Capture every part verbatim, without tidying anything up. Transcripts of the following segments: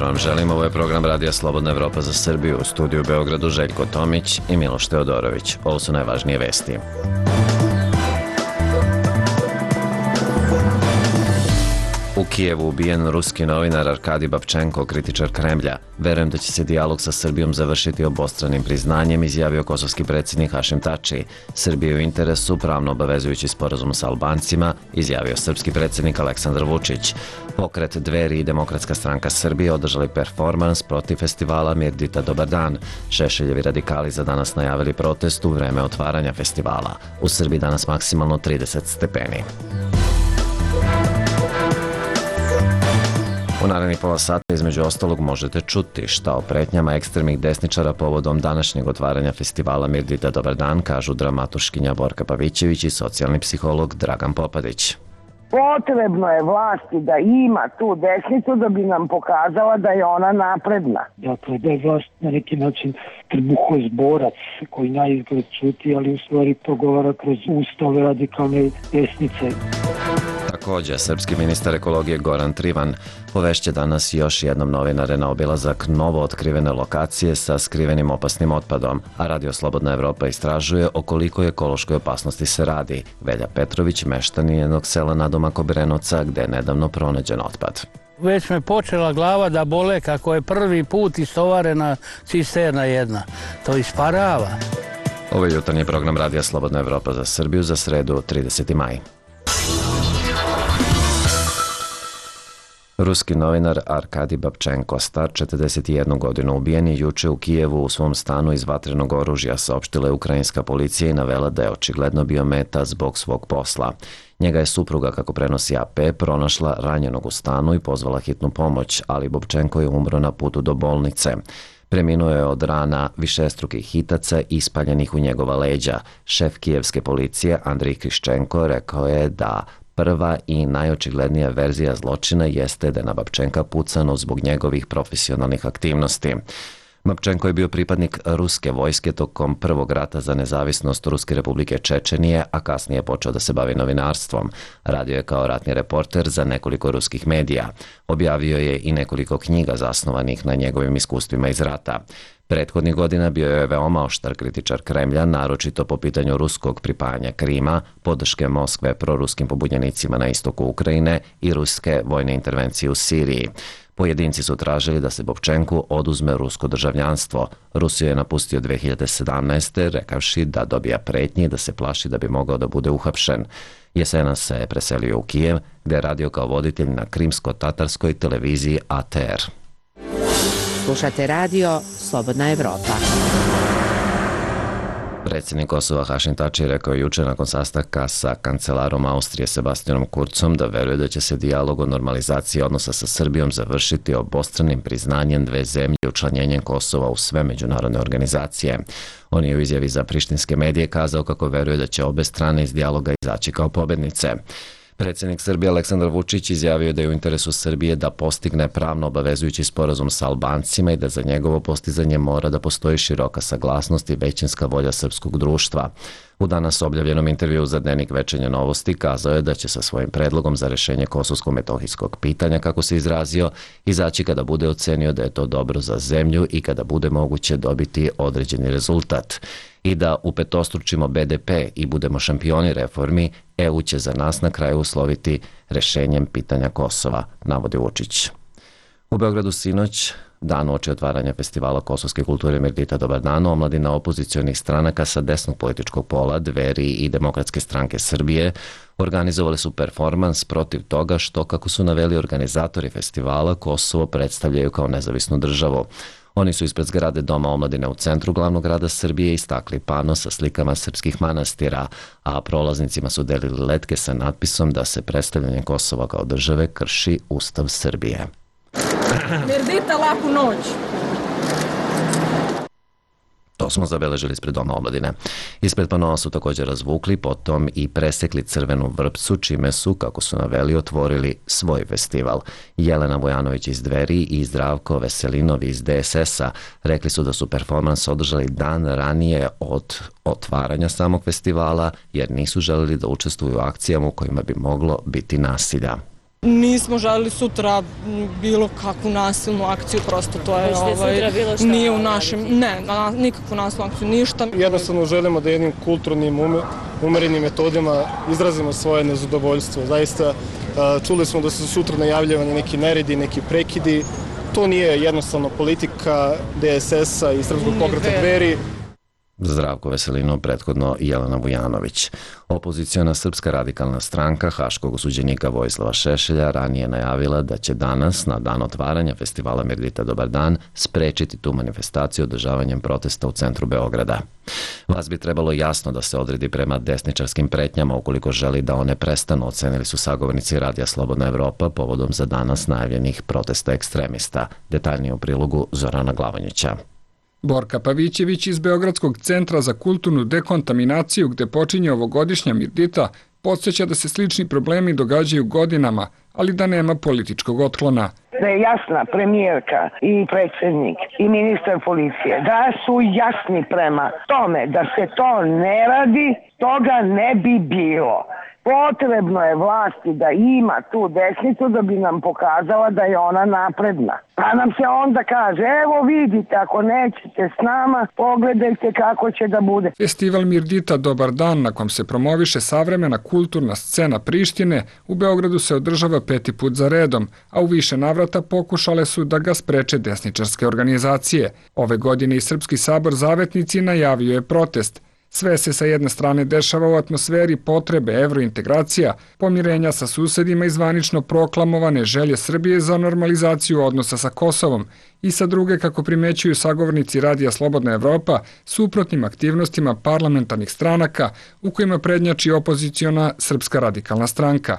jutro vam želim, ovo je program Radija Slobodna Evropa za Srbiju, u studiju u Beogradu Željko Tomić i Miloš Teodorović. Ovo su najvažnije vesti. U Kijevu ubijen ruski novinar Arkadij Babčenko, kritičar Kremlja. Verujem da će se dijalog sa Srbijom završiti obostranim priznanjem, izjavio kosovski predsjednik Hašim Tači. Srbije u interesu, pravno obavezujući sporazum sa Albancima, izjavio srpski predsjednik Aleksandar Vučić. Pokret Dveri i Demokratska stranka Srbije održali performans protiv festivala Mirdita Dobar dan. Šešeljevi radikali za danas najavili protest u vreme otvaranja festivala. U Srbiji danas maksimalno trideset stepeni. U narednih pola sata između ostalog možete čuti šta o pretnjama ekstremnih desničara povodom današnjeg otvaranja festivala Mirdita Dobar dan, kažu dramaturškinja Borka Pavićević i socijalni psiholog Dragan Popadić. Potrebno je vlasti da ima tu desnicu da bi nam pokazala da je ona napredna. Dakle, da je vlast na neki način trbuhozborac koji na izgled čuti, ali u stvari progovara kroz ustave radikalne desnice. Također, srpski ministar ekologije Goran Trivan povešće danas još jednom novinare na obilazak novo otkrivene lokacije sa skrivenim opasnim otpadom, a Radio Slobodna Evropa istražuje o kolikoj ekološkoj opasnosti se radi. Velja Petrović, meštanin jednog sela nadomak Obrenovca, gde je nedavno pronađen otpad. Već me počela glava da bole kako je prvi put istovarena cisterna jedna. To isparava. Ovo je jutarnji program Radija Slobodna Evropa za Srbiju za sredu trideseti maj. Ruski novinar Arkadij Babčenko, star četrdeset jednu godinu, ubijen je juče u Kijevu u svom stanu iz vatrenog oružja, saopštila je ukrajinska policija i navela da je očigledno bio meta zbog svog posla. Njega je supruga, kako prenosi A P, pronašla ranjenog u stanu i pozvala hitnu pomoć, ali Babčenko je umro na putu do bolnice. Preminuo je od rana višestrukih hitaca ispaljenih u njegova leđa. Šef kijevske policije Andrij Kriščenko rekao je da prva i najočiglednija verzija zločina jeste da je na Babčenka pucano zbog njegovih profesionalnih aktivnosti. Babčenko je bio pripadnik ruske vojske tokom prvog rata za nezavisnost Ruske republike Čečenije, a kasnije je počeo da se bavi novinarstvom. Radio je kao ratni reporter za nekoliko ruskih medija. Objavio je i nekoliko knjiga zasnovanih na njegovim iskustvima iz rata. Prethodnih godina bio je veoma oštar kritičar Kremlja, naročito po pitanju ruskog pripajanja Krima, podrške Moskve proruskim pobunjenicima na istoku Ukrajine i ruske vojne intervencije u Siriji. Pojedinci su tražili da se Babčenku oduzme rusko državljanstvo. Rusiju je napustio dve hiljade sedamnaeste. rekavši da dobija pretnje i da se plaši da bi mogao da bude uhapšen. Jesenas se je preselio u Kijev, gde je radio kao voditelj na krimsko-tatarskoj televiziji A T R. Slušate radio Slobodna Evropa. Predsjednik Kosova Hašim Tači rekao je juče nakon sastanka sa kancelarom Austrije Sebastianom Kurcom da veruje da će se dijalog o normalizaciji odnosa sa Srbijom završiti obostranim priznanjem dve zemlje i učlanjenjem Kosova u sve međunarodne organizacije. On je u izjavi za prištinske medije kazao kako veruje da će obe strane iz dijaloga izaći kao pobednice. Predsjednik Srbije Aleksandar Vučić izjavio da je u interesu Srbije da postigne pravno obavezujući sporazum sa Albancima i da za njegovo postizanje mora da postoji široka saglasnost i većinska volja srpskog društva. U danas objavljenom intervjuu za Dnevnik Večernje novosti kazao je da će sa svojim predlogom za rešenje kosovsko-metohijskog pitanja, kako se izrazio, izaći kada bude ocenio da je to dobro za zemlju i kada bude moguće dobiti određeni rezultat. I da upetostručimo B D P i budemo šampioni reformi, E U će za nas na kraju usloviti rešenjem pitanja Kosova, navodi Vučić. U Beogradu sinoć, dan uoči otvaranja festivala kosovske kulture Mirdita Dobar dan, omladina opozicionih stranaka sa desnog političkog pola, Dveri i Demokratske stranke Srbije, organizovali su performans protiv toga što, kako su naveli organizatori festivala, Kosovo predstavljaju kao nezavisnu državu. Oni su ispred zgrade Doma omladine u centru glavnog grada Srbije istakli pano sa slikama srpskih manastira, a prolaznicima su delili letke sa natpisom da se predstavljanje Kosova kao države krši Ustav Srbije. Mirdita, laku noć! To smo zabeležili ispred Doma omladine. Ispred panoa su također razvukli, potom i presekli crvenu vrpcu, čime su, kako su naveli, otvorili svoj festival. Jelena Vojanović iz Dveri i Zdravko Veselinov iz D S S-a rekli su da su performans održali dan ranije od otvaranja samog festivala, jer nisu želeli da učestvuju u akcijama u kojima bi moglo biti nasilja. Nismo želeli sutra bilo kakvu nasilnu akciju, prosto to je ovaj, nije u našem, ne, na, nikakvu nasilnu akciju, ništa. Jednostavno želimo da jednim kulturnim, umerenim metodima izrazimo svoje nezadovoljstvo. Zaista čuli smo da su sutra najavljivani neki neredi, neki prekidi. To nije jednostavno politika D S S-a i Srpskog pokreta Dveri. Zdravko Veselino, prethodno Jelena Vujanović. Opoziciona Srpska radikalna stranka haškog osuđenika Vojislava Šešelja ranije najavila da će danas, na dan otvaranja festivala Mirdita Dobar dan, sprečiti tu manifestaciju održavanjem protesta u centru Beograda. Vas bi trebalo jasno da se odredi prema desničarskim pretnjama ukoliko želi da one prestanu, ocenili su sagovornici Radija Slobodna Evropa povodom za danas najavljenih protesta ekstremista. Detaljnije u prilogu Zorana Glavonjića. Borka Pavićević iz Beogradskog centra za kulturnu dekontaminaciju, gde počinje ovogodišnja Mirdita, podsjeća da se slični problemi događaju godinama, ali da nema političkog otklona. Da je jasna premijerka i predsjednik i ministar policije, da su jasni prema tome da se to ne radi, toga ne bi bilo. Potrebno je vlasti da ima tu desnicu da bi nam pokazala da je ona napredna. Pa nam se onda kaže, evo vidite, ako nećete s nama, pogledajte kako će da bude. Festival Mirdita Dobar dan, na kom se promoviše savremena kulturna scena Prištine, u Beogradu se održava peti put za redom, a u više navrata pokušale su da ga spreče desničarske organizacije. Ove godine i Srpski sabor Zavetnici najavio je protest. Sve se sa jedne strane dešava u atmosferi potrebe evrointegracija, pomirenja sa susedima i zvanično proklamovane želje Srbije za normalizaciju odnosa sa Kosovom i sa druge, kako primećuju sagovornici Radija Slobodna Evropa, suprotnim aktivnostima parlamentarnih stranaka u kojima prednjači opoziciona Srpska radikalna stranka.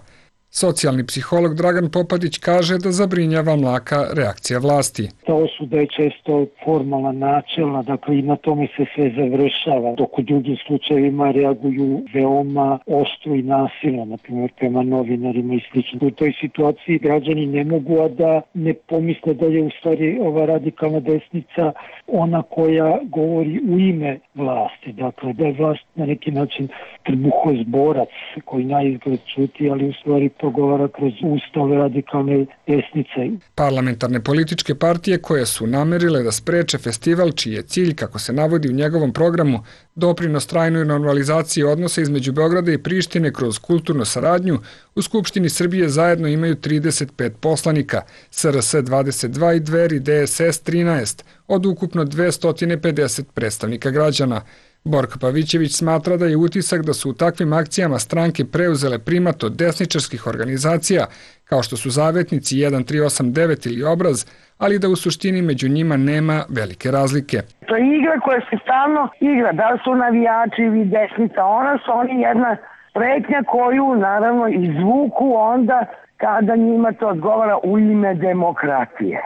Socijalni psiholog Dragan Popadić kaže da zabrinjava mlaka reakcija vlasti. Ta osuda je često formalna, načelna, dakle i na tome se sve završava, dok u drugim slučajevima reaguju veoma oštro i nasilno, na primjer prema novinarima i slično. U toj situaciji građani ne mogu a da ne pomisle da je u stvari ova radikalna desnica ona koja govori u ime vlasti, dakle da je vlast na neki način trbuhozborac koji naizgled čuti, ali u stvari progovara kroz ustave radikalne desnice. Parlamentarne političke partije koje su namerile da spreče festival, čiji je cilj, kako se navodi u njegovom programu, doprinos trajnoj normalizaciji odnosa između Beograda i Prištine kroz kulturnu saradnju, u Skupštini Srbije zajedno imaju trideset pet poslanika, S R S dvadeset dva i Dveri D S S trinaest, od ukupno dvesta pedeset predstavnika građana. Borka Pavićević smatra da je utisak da su u takvim akcijama stranke preuzele primat od desničarskih organizacija, kao što su Zavetnici jedan tri osam devet ili Obraz, ali da u suštini među njima nema velike razlike. To je igra koja se stalno igra, da li su navijači ili desnica, ona su oni jedna pretnja koju naravno izvuku onda kada njima to odgovara u ime demokratije.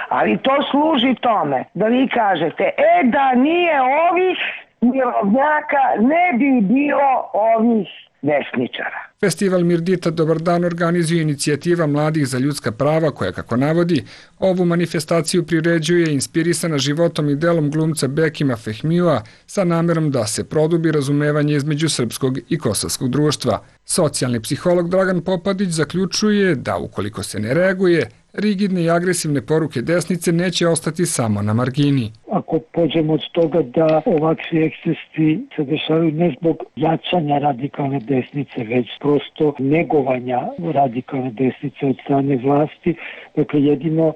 Ali to služi tome da vi kažete, e da nije ovih mirovnjaka, ne bi bilo ovih desničara. Festival Mirdita Dobar dan organizuje inicijativa Mladih za ljudska prava koja, kako navodi, ovu manifestaciju priređuje inspirisana životom i delom glumca Bekima Fehmija sa namerom da se produbi razumevanje između srpskog i kosovskog društva. Socijalni psiholog Dragan Popadić zaključuje da ukoliko se ne reaguje, rigidne i agresivne poruke desnice neće ostati samo na margini. Ako pođemo od toga da ovakvi ekscesi se dešavaju ne zbog jačanja radikalne desnice, već prosto negovanja radikalne desnice od strane vlasti, dakle jedino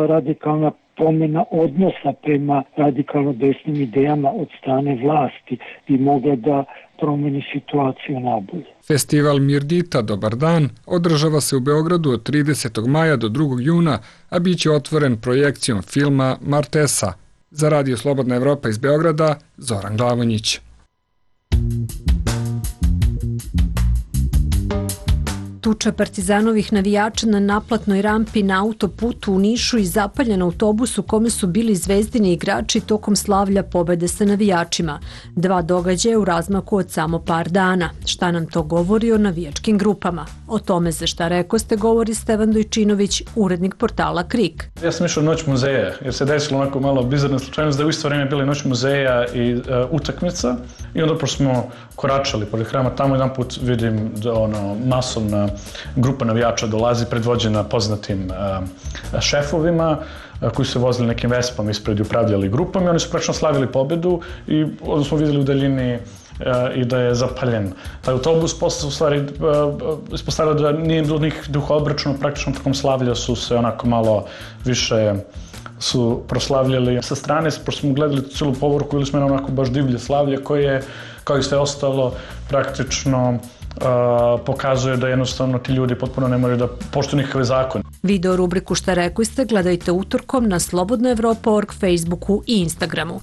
radikalna promjena odnosa prema radikalno desnim idejama od strane vlasti bi mogla da promeni situaciju nabolje. Festival Mirdita Dobar dan održava se u Beogradu od tridesetog maja do drugog juna, a bit će otvoren projekcijom filma Martesa. Za Radio Slobodna Evropa iz Beograda, Zoran Glavonjić. Tuča partizanovih navijača na naplatnoj rampi na autoputu u Nišu i zapaljen autobus u kome su bili Zvezdini igrači tokom slavlja pobede sa navijačima. Dva događaja u razmaku od samo par dana. Šta nam to govori o navijačkim grupama? O tome za šta rekoste govori Stevan Dojčinović, urednik portala Krik. Ja sam išao Noć muzeja, jer se desilo onako malo bizarna slučajnost da u isto vreme bili Noć muzeja i uh, utakmica i onda pošto smo koračali pored hrama, tamo jedan put vidim da ono masovna grupa navijača dolazi predvođena poznatim šefovima koji su vozili nekim vespama ispred i upravljali grupom i oni su praktično slavili pobedu i onda smo vidjeli u daljini i da je zapaljen taj autobus. Posle se u stvari ispostavilo da nije bilo nikakvih duha obračuna, praktično tokom slavlja su se onako malo više su proslavljali sa strane, pošto smo gledali cijelu povorku ili smo jedno onako baš divlje slavlje koje je, kao i sve ostalo, praktično Uh, pokazuje da jednostavno ti ljudi potpuno ne moraju da poštuju nikakve zakone. Video rubriku Šta rekli ste gledajte utorkom na slobodna evropa tačka org, Facebooku i Instagramu.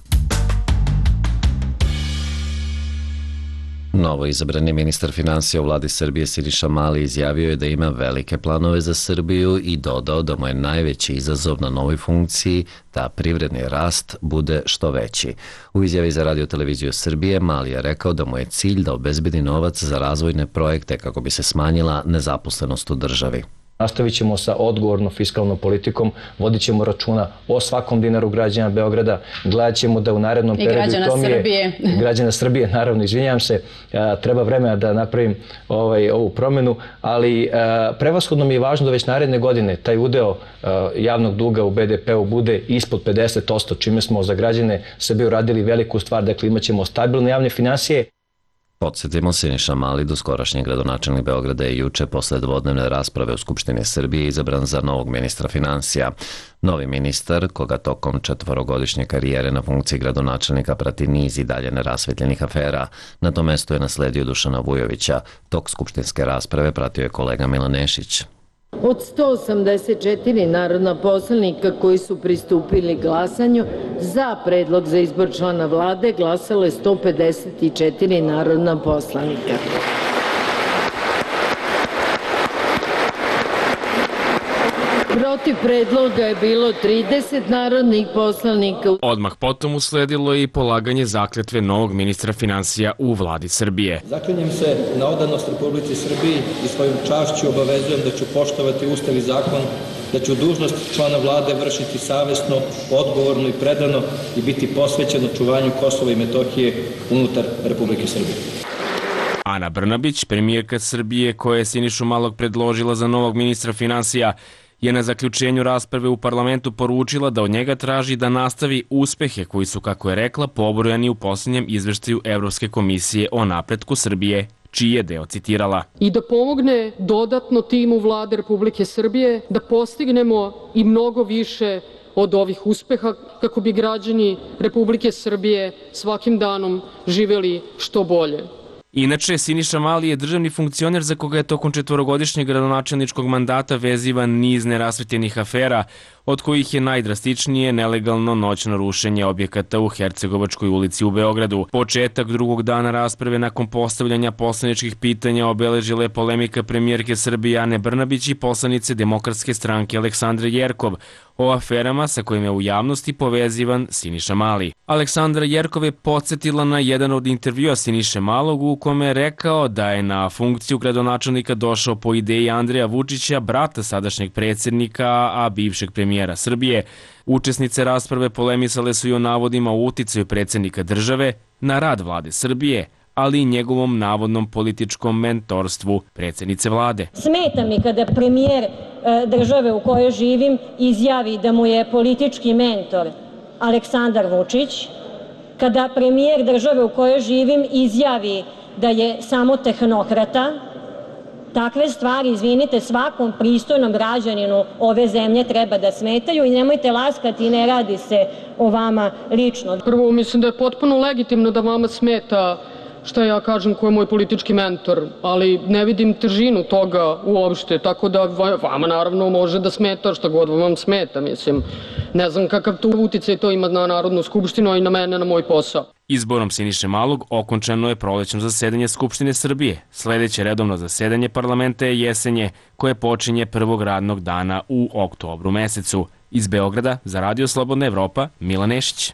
Novo izabrani ministar finansija u vladi Srbije Siniša Mali izjavio je da ima velike planove za Srbiju i dodao da mu je najveći izazov na novoj funkciji da privredni rast bude što veći. U izjavi za Radio televiziju Srbije Mali je rekao da mu je cilj da obezbedi novac za razvojne projekte kako bi se smanjila nezaposlenost u državi. Nastavit ćemo sa odgovornom fiskalnom politikom, vodit ćemo računa o svakom dinaru građana Beograda, gledat ćemo da u narednom periodu... I građana Srbije. Građana Srbije, naravno, izvinjam se, treba vremena da napravim ovaj, ovu promenu, ali prevashodno mi je važno da već naredne godine taj udeo javnog duga u be de pe u bude ispod pedeset posto, čime smo za građane Srbije uradili veliku stvar, dakle imat ćemo stabilne javne finansije. Podsjetimo, Siniša Mali, doskorašnji gradonačelnik Beograda, je juče posle dvodnevne rasprave u Skupštini Srbije izabran za novog ministra finansija. Novi ministar, koga tokom četvorogodišnje karijere na funkciji gradonačelnika prati niz i dalje nerasvetljenih afera, na to mesto je nasledio Dušana Vujovića. Tok skupštinske rasprave pratio je kolega Milan Nešić. Od sto osamdeset četiri narodna poslanika koji su pristupili glasanju za predlog za izbor člana vlade glasalo je sto pedeset četiri narodna poslanika. Protiv predloga je bilo trideset narodnih poslanika. Odmah potom usledilo je i polaganje zakletve novog ministra finansija u vladi Srbije. Zaklinjem se na odanost Republici Srbiji i svojom čašću obavezujem da ću poštovati Ustav i zakon, da ću dužnost člana vlade vršiti savesno, odgovorno i predano i biti posvećen očuvanju Kosova i Metohije unutar Republike Srbije. Ana Brnabić, premijerka Srbije koja je Sinišu Malog predložila za novog ministra finansija, je na zaključenju rasprave u parlamentu poručila da od njega traži da nastavi uspehe koji su, kako je rekla, pobrojani u posljednjem izveštaju Evropske komisije o napretku Srbije, čiji je deo citirala. I da pomogne dodatno timu vlade Republike Srbije da postignemo i mnogo više od ovih uspeha kako bi građani Republike Srbije svakim danom živeli što bolje. Inače, Siniša Mali je državni funkcioner za koga je tokom četvorogodišnjeg gradonačelničkog mandata vezivan niz nerasvetljenih afera, od kojih je najdrastičnije nelegalno noćno rušenje objekata u Hercegovačkoj ulici u Beogradu. Početak drugog dana rasprave nakon postavljanja poslaničkih pitanja obeležila je polemika premijerke Srbije Ane Brnabić i poslanice Demokratske stranke Aleksandre Jerkov o aferama sa kojima je u javnosti povezivan Siniša Mali. Aleksandra Jerkov je podsjetila na jedan od intervjua Siniše Malog u kome je rekao da je na funkciju gradonačelnika došao po ideji Andreja Vučića, brata sadašnjeg predsjednika, a bivšeg premijera Srbije. Učesnice rasprave polemisale su i o navodima o uticaju predsjednika države na rad vlade Srbije, ali i njegovom navodnom političkom mentorstvu predsjednice vlade. Smeta mi kada premijer države u kojoj živim izjavi da mu je politički mentor Aleksandar Vučić, kada premijer države u kojoj živim izjavi da je samo tehnokrata. Takve stvari, izvinite, svakom pristojnom građaninu ove zemlje treba da smetaju i nemojte laskati, ne radi se o vama lično. Prvo, mislim da je potpuno legitimno da vama smeta šta ja kažem ko je moj politički mentor, ali ne vidim težinu toga uopšte, tako da vama naravno može da smeta šta god vam smeta, mislim. Ne znam kakav to uticaj to ima na Narodnu skupštinu i na mene, na moj posao. Izborom Siniše Malog okončano je prolećno zasedanje Skupštine Srbije. Sledeće redovno zasedanje parlamenta je jesenje, koje počinje prvog radnog dana u oktobru mesecu. Iz Beograda za Radio Slobodna Evropa, Milan Nešić.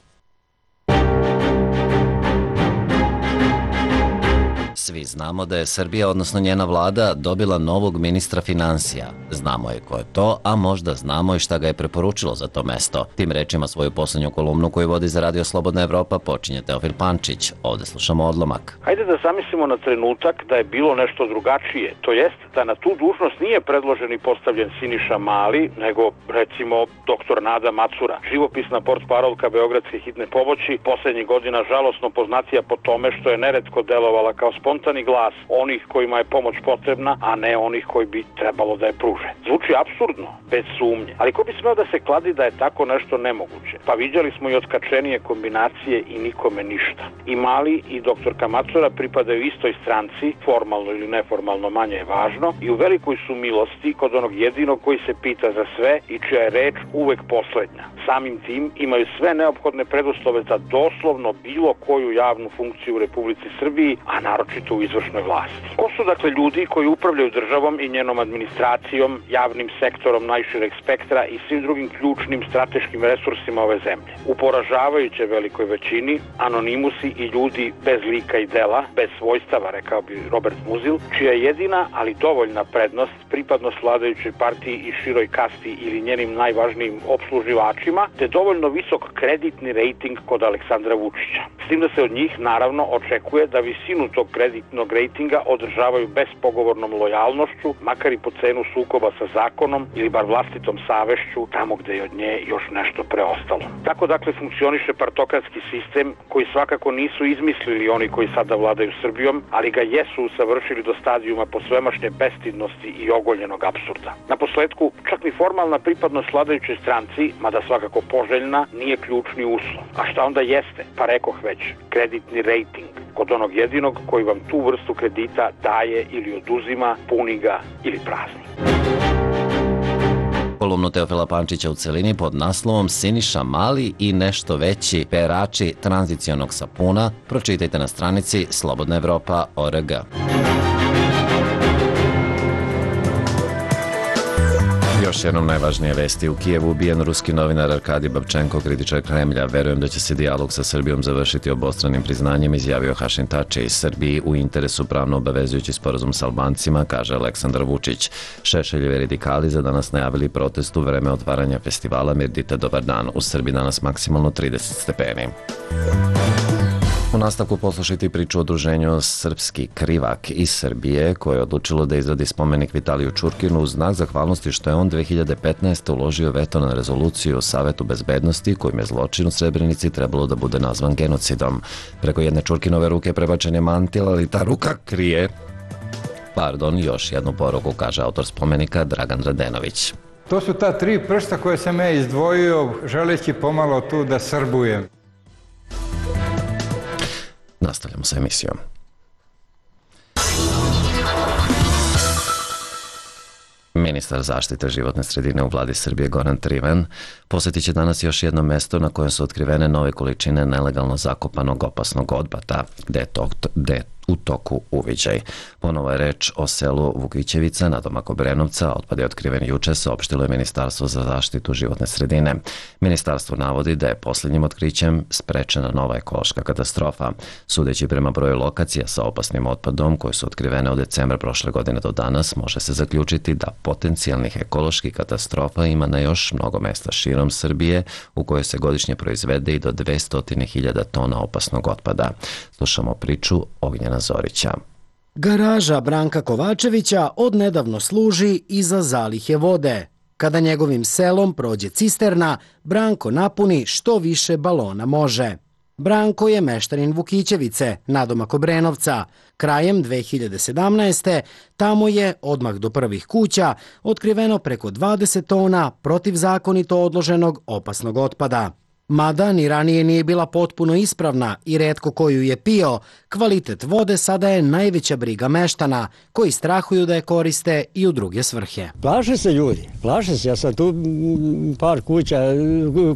Svi znamo da je Srbija, odnosno njena vlada, dobila novog ministra financija. Znamo je ko je to, a možda znamo i šta ga je preporučilo za to mesto. Tim rečima svoju poslednju kolumnu koju vodi za Radio Slobodna Evropa počinje Teofil Pančić. Ovde slušamo odlomak. Hajde da zamislimo na trenutak da je bilo nešto drugačije. To jest da na tu dužnost nije predložen i postavljen Siniša Mali, nego recimo doktor Nada Macura, živopisna portparolka Beogradske hitne pomoći, poslednjih godina žalosno poznatija po tome što je neretko delovala kao spontani glas onih kojima je pomoć potrebna, a ne onih koji bi trebalo da je pruže. Zvuči apsurdno, bez sumnje, ali ko bi smeo da se kladi da je tako nešto nemoguće? Pa viđali smo i otkačenije kombinacije i nikome ništa. I Mali i doktorka Macura pripadaju istoj stranci, formalno ili neformalno, manje je važno, i u velikoj su milosti kod onog jedinog koji se pita za sve i čija je reč uvek poslednja. Samim tim imaju sve neophodne preduslove za doslovno bilo koju javnu funkciju u Republici Srbiji, a naročito u izvršnoj vlasti. Ko su dakle ljudi koji upravljaju državom i njenom administracijom, javnim sektorom najšireg spektra i svim drugim ključnim strateškim resursima ove zemlje? U poražavajuće velikoj većini anonimusi i ljudi bez lika i dela, bez svojstava, rekao bi Robert Muzil, čija je jedina, ali dovoljna prednost pripadnost vladajućoj partiji i široj kasti ili njenim najvažnijim opsluživačima, te dovoljno visok kreditni rejting kod Aleksandra Vučića. S tim da se od njih naravno očekuje da visinu tog kreditnog rejtinga održavaju bespogovornom lojalnošću, makar i po cenu sukoba sa zakonom ili bar vlastitom savešću tamo gde je od nje još nešto preostalo. Tako dakle funkcioniše partokratski sistem koji svakako nisu izmislili oni koji sada vladaju Srbijom, ali ga jesu usavršili do stadijuma posvemašnje bestidnosti i ogoljenog apsurda. Na posledku, čak ni formalna pripadnost vladajućoj stranci, mada svakako poželjna, nije ključni uslov. A šta onda jeste? Pa rekoh već, kreditni rejting kod onog jedinog koji vam tu vrstu kredita daje ili oduzima, puni ga ili prazni. Kolumnu Teofila Pančića u celini pod naslovom Siniša Mali i nešto veći perači tranzicionog sapuna pročitajte na stranici slobodna evropa tačka org. Još jednom najvažnije vesti. U Kijevu ubijen ruski novinar Arkadij Babčenko, kritičar Kremlja. Verujem da će se dijalog sa Srbijom završiti obostranim priznanjem, izjavio Hašim Tači. Iz Srbiji u interesu pravno obavezujući sporazum sa Albancima, kaže Aleksandar Vučić. Šešeljevi radikali za danas najavili protest u vreme otvaranja festivala Mirdita Dobar dan. U Srbiji danas maksimalno trideset stepeni. U nastavku poslušajte priču o udruženju Srpski Krivak iz Srbije, koje je odlučilo da izradi spomenik Vitaliju Čurkinu u znak zahvalnosti što je on dve hiljade petnaeste. uložio veto na rezoluciju o Savetu bezbednosti kojim je zločin u Srebrenici trebalo da bude nazvan genocidom. Preko jedne Čurkinove ruke prebačen je mantil, ali ta ruka krije, pardon, još jednu poruku, kaže autor spomenika Dragan Radenović. To su ta tri prsta koje sam ja izdvojio, želeći pomalo tu da srbujem. Nastavljamo sa emisijom. Ministar zaštite životne sredine u vladi Srbije Goran Trivan posetit će danas još jedno mesto na kojem su otkrivene nove količine nelegalno zakopanog opasnog otpada, gde je, to, gde je u toku uviđaj. Ponovo je reč o selu Vukićevica, nadomak Obrenovca. Otpad je otkriven juče, saopštilo je Ministarstvo za zaštitu životne sredine. Ministarstvo navodi da je posljednjim otkrićem sprečena nova ekološka katastrofa. Sudeći prema broju lokacija sa opasnim otpadom koje su otkrivene od decembra prošle godine do danas, može se zaključiti da potencijalnih ekoloških katastrofa ima na još mnogo mesta širom Srbije u kojoj se godišnje proizvede i do dvesta hiljada tona opasnog otpada. Slušamo priču Ognjena Zorića. Garaža Branka Kovačevića odnedavno služi i za zalihe vode. Kada njegovim selom prođe cisterna, Branko napuni što više balona može. Branko je meštanin Vukićevice, nadomak Obrenovca. Krajem dve hiljade sedamnaeste. tamo je, odmah do prvih kuća, otkriveno preko dvadeset tona protivzakonito odloženog opasnog otpada. Mada ni ranije nije bila potpuno ispravna i retko koju je pio, kvalitet vode sada je najveća briga meštana, koji strahuju da je koriste i u druge svrhe. Plaše se ljudi, plaše se. Ja sam tu par kuća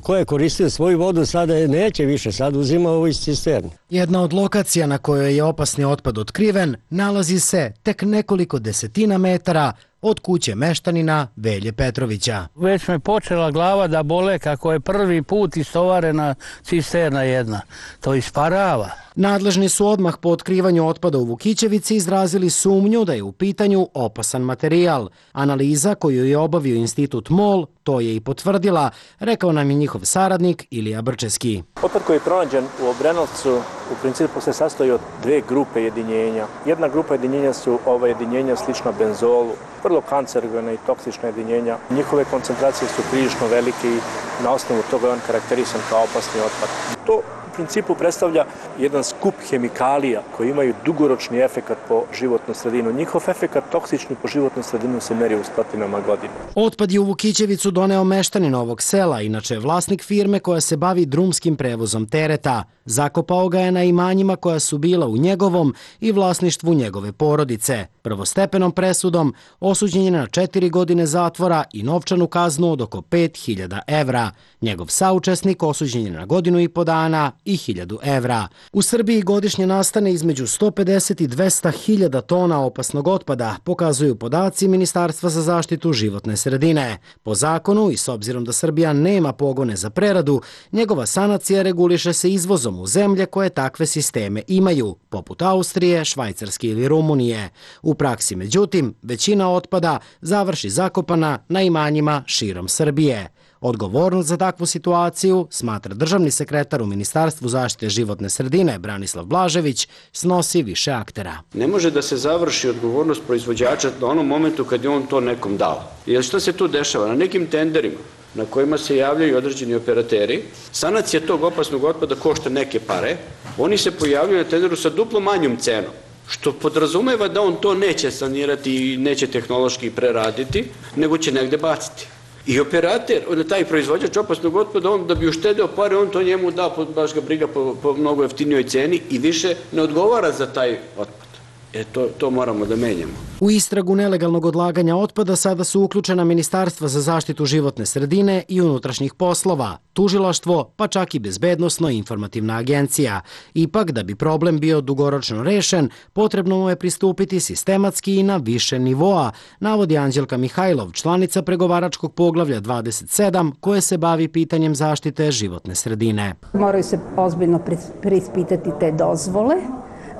koje koristio svoju vodu, sada je neće više, sad uzima ovo iz cisterni. Jedna od lokacija na kojoj je opasni otpad otkriven nalazi se tek nekoliko desetina metara od kuće meštanina Velje Petrovića. Već me počela glava da bole kako je prvi put istovarena cisterna jedna. To isparava. Nadležni su odmah po otkrivanju otpada u Vukićevici izrazili sumnju da je u pitanju opasan materijal. Analiza koju je obavio institut MOL to je i potvrdila, rekao nam je njihov saradnik Ilija Brčeski. Otpad koji je pronađen u Obrenovcu u principu se sastoji od dve grupe jedinjenja. Jedna grupa jedinjenja su ova jedinjenja slična benzolu, vrlo kancerogena i toksična jedinjenja. Njihove koncentracije su prilično velike i na osnovu toga je on karakterisan kao opasni otpad. To u principu predstavlja jedan skup hemikalija koji imaju dugoročni efekat po životnu sredinu. Njihov efekat toksični po životnu sredinu se meri u stotinama godina. Otpad je u Vukićevicu doneo meštanin ovog sela, inače je vlasnik firme koja se bavi drumskim prevozom tereta. Zakopao ga je na imanjima koja su bila u njegovom i vlasništvu njegove porodice. Prvostepenom presudom osuđen je na četiri godine zatvora i novčanu kaznu od oko pet hiljada evra. Njegov saučesnik osuđen je na godinu i po dana i hiljadu evra. U Srbiji godišnje nastane između sto pedeset i dvesta hiljada tona opasnog otpada, pokazuju podaci Ministarstva za zaštitu životne sredine. Po zakonu i s obzirom da Srbija nema pogone za preradu, njegova sanacija reguliše se izvozom u zemlje koje takve sisteme imaju, poput Austrije, Švajcarske ili Rumunije. U praksi, međutim, većina otpada završi zakopana na imanjima širom Srbije. Odgovornost za takvu situaciju, smatra državni sekretar u Ministarstvu zaštite životne sredine Branislav Blažević, snosi više aktera. Ne može da se završi odgovornost proizvođača na onom momentu kad je on to nekom dao. Jer što se tu dešava? Na nekim tenderima na kojima se javljaju određeni operateri, sanacija tog opasnog otpada košta neke pare, oni se pojavljaju na tenderu sa duplo manjom cenom, što podrazumeva da on to neće sanirati i neće tehnološki preraditi, nego će negde baciti. I operater, taj proizvođač opasnog otpada, on da bi uštedeo pare, on to njemu da, baš ga briga po, po mnogo jeftinijoj ceni i više ne odgovara za taj otpad. E, to, to moramo da menjamo. U istragu nelegalnog odlaganja otpada sada su uključena Ministarstva za zaštitu životne sredine i unutrašnjih poslova, tužilaštvo, pa čak i bezbednosno informativna agencija. Ipak, da bi problem bio dugoročno rešen, potrebno mu je pristupiti sistematski i na više nivoa, navodi Anđelka Mihajlov, članica pregovaračkog poglavlja dvadeset sedam, koje se bavi pitanjem zaštite životne sredine. Moraju se ozbiljno preispitati te dozvole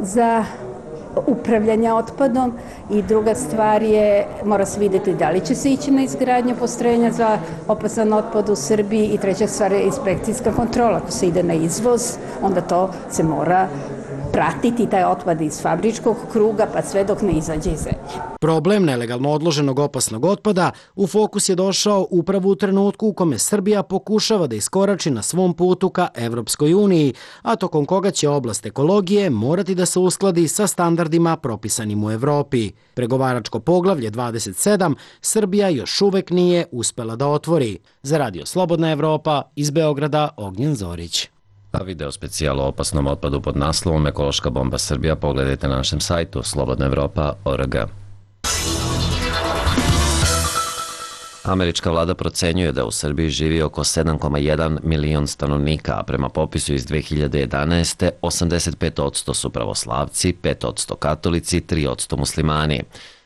za upravljanja otpadom i druga stvar je, mora se vidjeti da li će se ići na izgradnju postrojenja za opasan otpad u Srbiji i treća stvar je inspekcijska kontrola. Ako se ide na izvoz, onda to se mora pratiti, taj otpad iz fabričkog kruga pa sve dok ne izađe iz zemlje. Problem nelegalno odloženog opasnog otpada u fokus je došao upravo u trenutku u kome Srbija pokušava da iskorači na svom putu ka Evropskoj uniji, a tokom koga će oblast ekologije morati da se uskladi sa standardima propisanim u Evropi. Pregovaračko poglavlje dvadeset sedam Srbija još uvek nije uspela da otvori. Za Radio Slobodna Evropa, iz Beograda, Ognjen Zorić. A video specijal o opasnom otpadu pod naslovom Ekološka bomba Srbija pogledajte na našem sajtu slobodna evropa tačka org. Američka vlada procenjuje da u Srbiji živi oko sedam zarez jedan milion stanovnika, a prema popisu iz dve hiljade jedanaeste. osamdeset pet posto su pravoslavci, pet posto katolici, tri posto muslimani.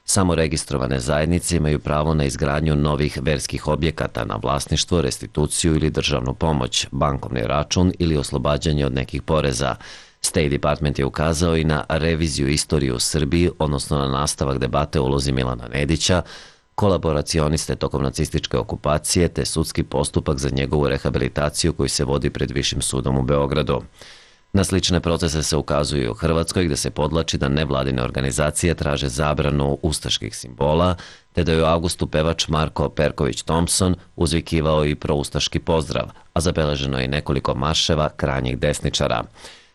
Samo registrovane zajednice imaju pravo na izgradnju novih verskih objekata, na vlasništvo, restituciju ili državnu pomoć, bankovni račun ili oslobađanje od nekih poreza. State Department je ukazao i na reviziju istorije u Srbiji, odnosno na nastavak debate o ulozi Milana Nedića, kolaboracioniste tokom nacističke okupacije, te sudski postupak za njegovu rehabilitaciju koji se vodi pred Višim sudom u Beogradu. Na slične procese se ukazuje u Hrvatskoj, gde se podlači da nevladine organizacije traže zabranu ustaških simbola, te da je u avgustu pevač Marko Perković Thompson uzvikivao i proustaški pozdrav, a zabeleženo je nekoliko marševa krajnjih desničara.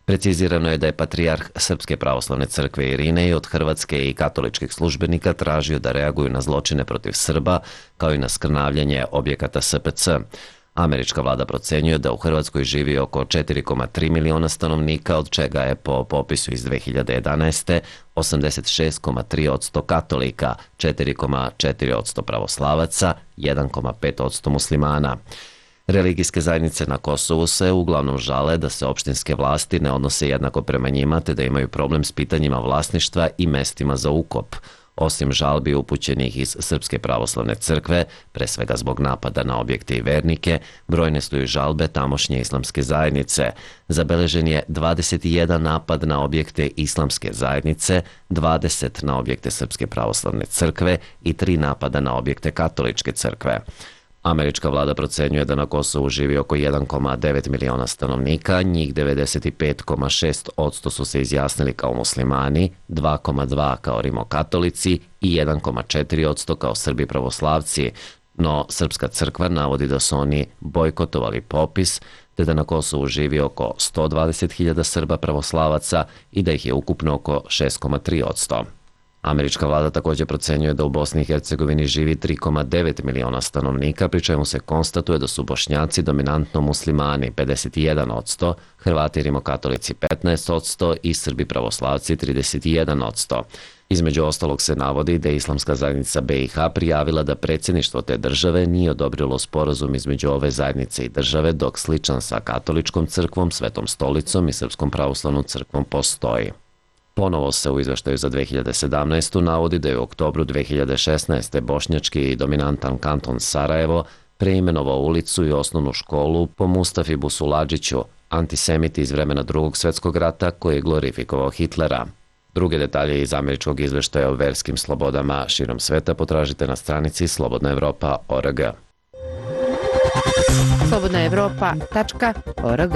Precizirano je da je patrijarh Srpske pravoslavne crkve Irinej od hrvatske i katoličkih službenika tražio da reaguju na zločine protiv Srba, kao i na skrnavljanje objekata S P C. Američka vlada procenjuje da u Hrvatskoj živi oko četiri zarez tri miliona stanovnika, od čega je po popisu iz dve hiljade jedanaeste. osamdeset šest zarez tri posto katolika, četiri zarez četiri posto pravoslavaca, jedan zarez pet posto muslimana. Religijske zajednice na Kosovu se uglavnom žale da se opštinske vlasti ne odnose jednako prema njima, te da imaju problem s pitanjima vlasništva i mestima za ukop. Osim žalbi upućenih iz Srpske pravoslavne crkve, pre svega zbog napada na objekte i vernike, brojne su i žalbe tamošnje islamske zajednice. Zabeležen je dvadeset jedan napad na objekte islamske zajednice, dvadeset na objekte Srpske pravoslavne crkve i tri napada na objekte katoličke crkve. Američka vlada procenjuje da na Kosovu živi oko jedan zarez devet miliona stanovnika, njih devedeset pet zarez šest posto su se izjasnili kao muslimani, dva zarez dva kao rimokatolici i jedan zarez četiri posto kao Srbi pravoslavci, no Srpska crkva navodi da su oni bojkotovali popis, te da na Kosovu živi oko sto dvadeset hiljada Srba pravoslavaca i da ih je ukupno oko šest zarez tri posto. Američka vlada također procenjuje da u Bosni i Hercegovini živi tri zarez devet miliona stanovnika, pri čemu se konstatuje da su Bošnjaci dominantno muslimani pedeset jedan posto, Hrvati rimokatolici petnaest posto i Srbi pravoslavci trideset jedan posto. Između ostalog se navodi da je Islamska zajednica be i ha prijavila da predsjedništvo te države nije odobrilo sporazum između ove zajednice i države, dok sličan sa Katoličkom crkvom, Svetom stolicom i Srpskom pravoslavnom crkvom postoji. Ponovo se u izveštaju za dve hiljade sedamnaestu. navodi da je u oktobru dve hiljade šesnaeste. bošnjački i dominantan kanton Sarajevo preimenovao ulicu i osnovnu školu po Mustafi Busuladžiću, antisemiti iz vremena Drugog svjetskog rata koji je glorifikovao Hitlera. Druge detalje iz američkog izveštaja o verskim slobodama širom sveta potražite na stranici slobodna evropa tačka org. slobodna evropa tačka org.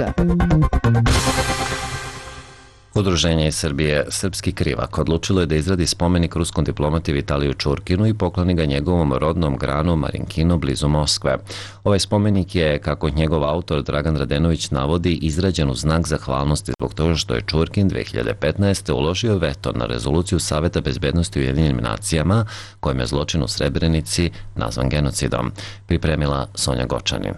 Udruženje iz Srbije Srpski krivak odlučilo je da izradi spomenik ruskom diplomati Vitaliju Čurkinu i pokloni ga njegovom rodnom granu Marinkinu blizu Moskve. Ovaj spomenik je, kako njegov autor Dragan Radenović navodi, izrađen u znak zahvalnosti zbog toga što je Čurkin dve hiljade petnaeste. uložio veto na rezoluciju Saveta bezbednosti u Ujedinjenim nacijama kojim je zločin u Srebrenici nazvan genocidom. Pripremila Sonja Gočanin.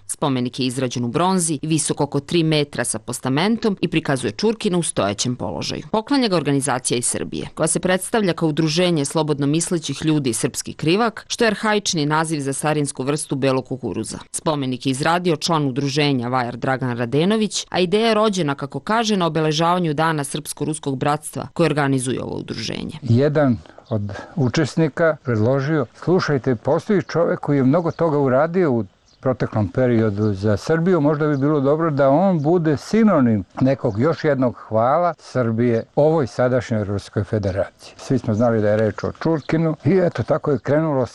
Spomenik je izrađen u bronzi, visok oko tri metra sa postamentom i prikazuje Čurkina u stojećem položaju. Poklanja ga organizacija iz Srbije, koja se predstavlja kao udruženje slobodno mislećih ljudi Srpski krivak, što je arhaični naziv za starinsku vrstu belog kukuruza. Spomenik je izradio član udruženja Vajar Dragan Radenović, a ideja je rođena, kako kaže, na obeležavanju Dana Srpsko-ruskog bratstva koje organizuje ovo udruženje. Jedan od učesnika predložio, slušajte, postoji čovek koji je mnogo toga uradio u proteklom periodu za Srbiju, možda bi bilo dobro da on bude sinonim nekog još jednog hvala Srbije ovoj sadašnjoj Ruskoj federaciji. Svi smo znali da je reč o Čurkinu i eto tako je krenulo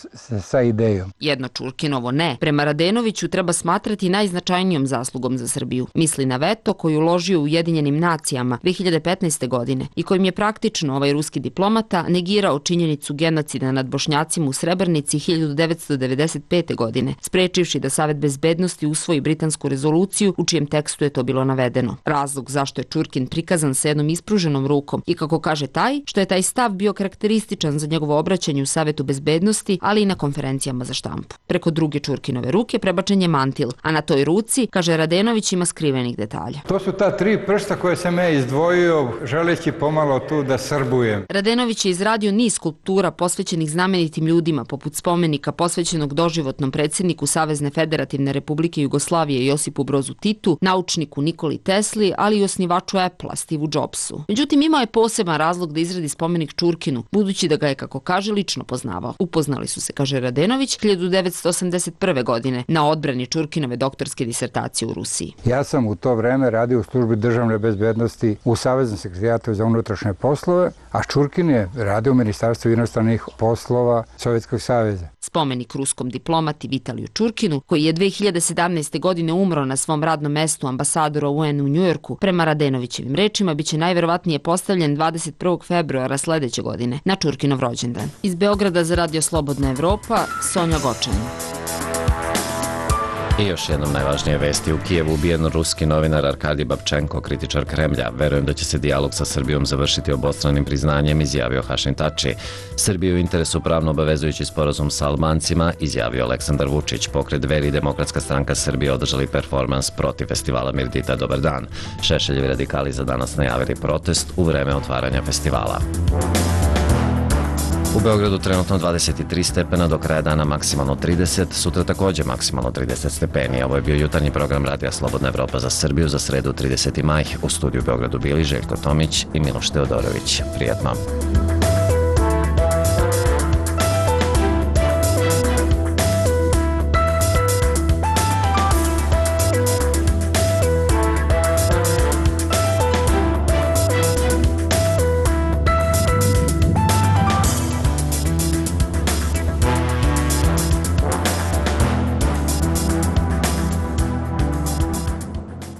sa idejom. Jedno Čurkinovo ne, prema Radenoviću, treba smatrati najznačajnijom zaslugom za Srbiju. Misli na veto koji uložio u Ujedinjenim nacijama dve hiljade petnaeste. godine i kojim je praktično ovaj ruski diplomata negirao činjenicu genocida nad Bošnjacima u Srebrenici hiljadu devetsto devedeset pete. godine, sprečivši da Savet bezbednosti usvoji britansku rezoluciju u čijem tekstu je to bilo navedeno. Razlog zašto je Čurkin prikazan sa jednom ispruženom rukom i, kako kaže, taj što je taj stav bio karakterističan za njegovo obraćanje u Savetu bezbednosti, ali i na konferencijama za štampu. Preko druge Čurkinove ruke prebačen je mantil, a na toj ruci, kaže Radenović, ima skrivenih detalja. To su ta tri prsta koje sam ja izdvojio želeći pomalo tu da srbujem. Radenović je izradio niz skulptura posvećenih znamenitim ljudima, poput spomenika posvećenog doživotnom predsjedniku Savezne Federativne Republike Jugoslavije Josipu Brozu Titu, naučniku Nikoli Tesli, ali i osnivaču Apple-a Steve Jobsu. Međutim, imao je poseban razlog da izradi spomenik Čurkinu, budući da ga je, kako kaže, lično poznavao. Upoznali su se, kaže Radenović, hiljadu devetsto osamdeset prve. godine na odbrani Čurkinove doktorske disertacije u Rusiji. Ja sam u to vreme radio u službi državne bezbednosti u Saveznom sekretarijatu za unutrašnje poslove, a Čurkin je radio u Ministarstvu inostranih poslova Sovjetskog saveza. Spomenik ruskom diplomati Vitaliju Čurkinu, koji je dve hiljade sedamnaeste. godine umro na svom radnom mestu ambasadora U N u Njujorku, prema Radenovićevim rečima, biće najverovatnije postavljen dvadeset prvog februara sledeće godine, na Čurkinov rođendan. Iz Beograda za Radio Slobodna Evropa, Sonja Gočanin. I još jednom najvažnije vesti. U Kijevu ubijen ruski novinar Arkadij Babčenko, kritičar Kremlja. Verujem da će se dijalog sa Srbijom završiti obostranim priznanjem, izjavio Hašim Tači. Srbiju u interesu pravno obavezujući sporazum sa Albancima, izjavio Aleksandar Vučić. Pokret Dveri i Demokratska stranka Srbije održali performans protiv festivala Mirdita Dobar dan. Šešeljevi radikali za danas najavili protest u vreme otvaranja festivala. U Beogradu trenutno dvadeset tri stepena, do kraja dana maksimalno trideset, sutra također maksimalno trideset stepeni. Ovo je bio jutarnji program Radija Slobodna Evropa za Srbiju za sredu trideseti maj. U studiju u Beogradu bili Željko Tomić i Miloš Teodorović. Prijatno.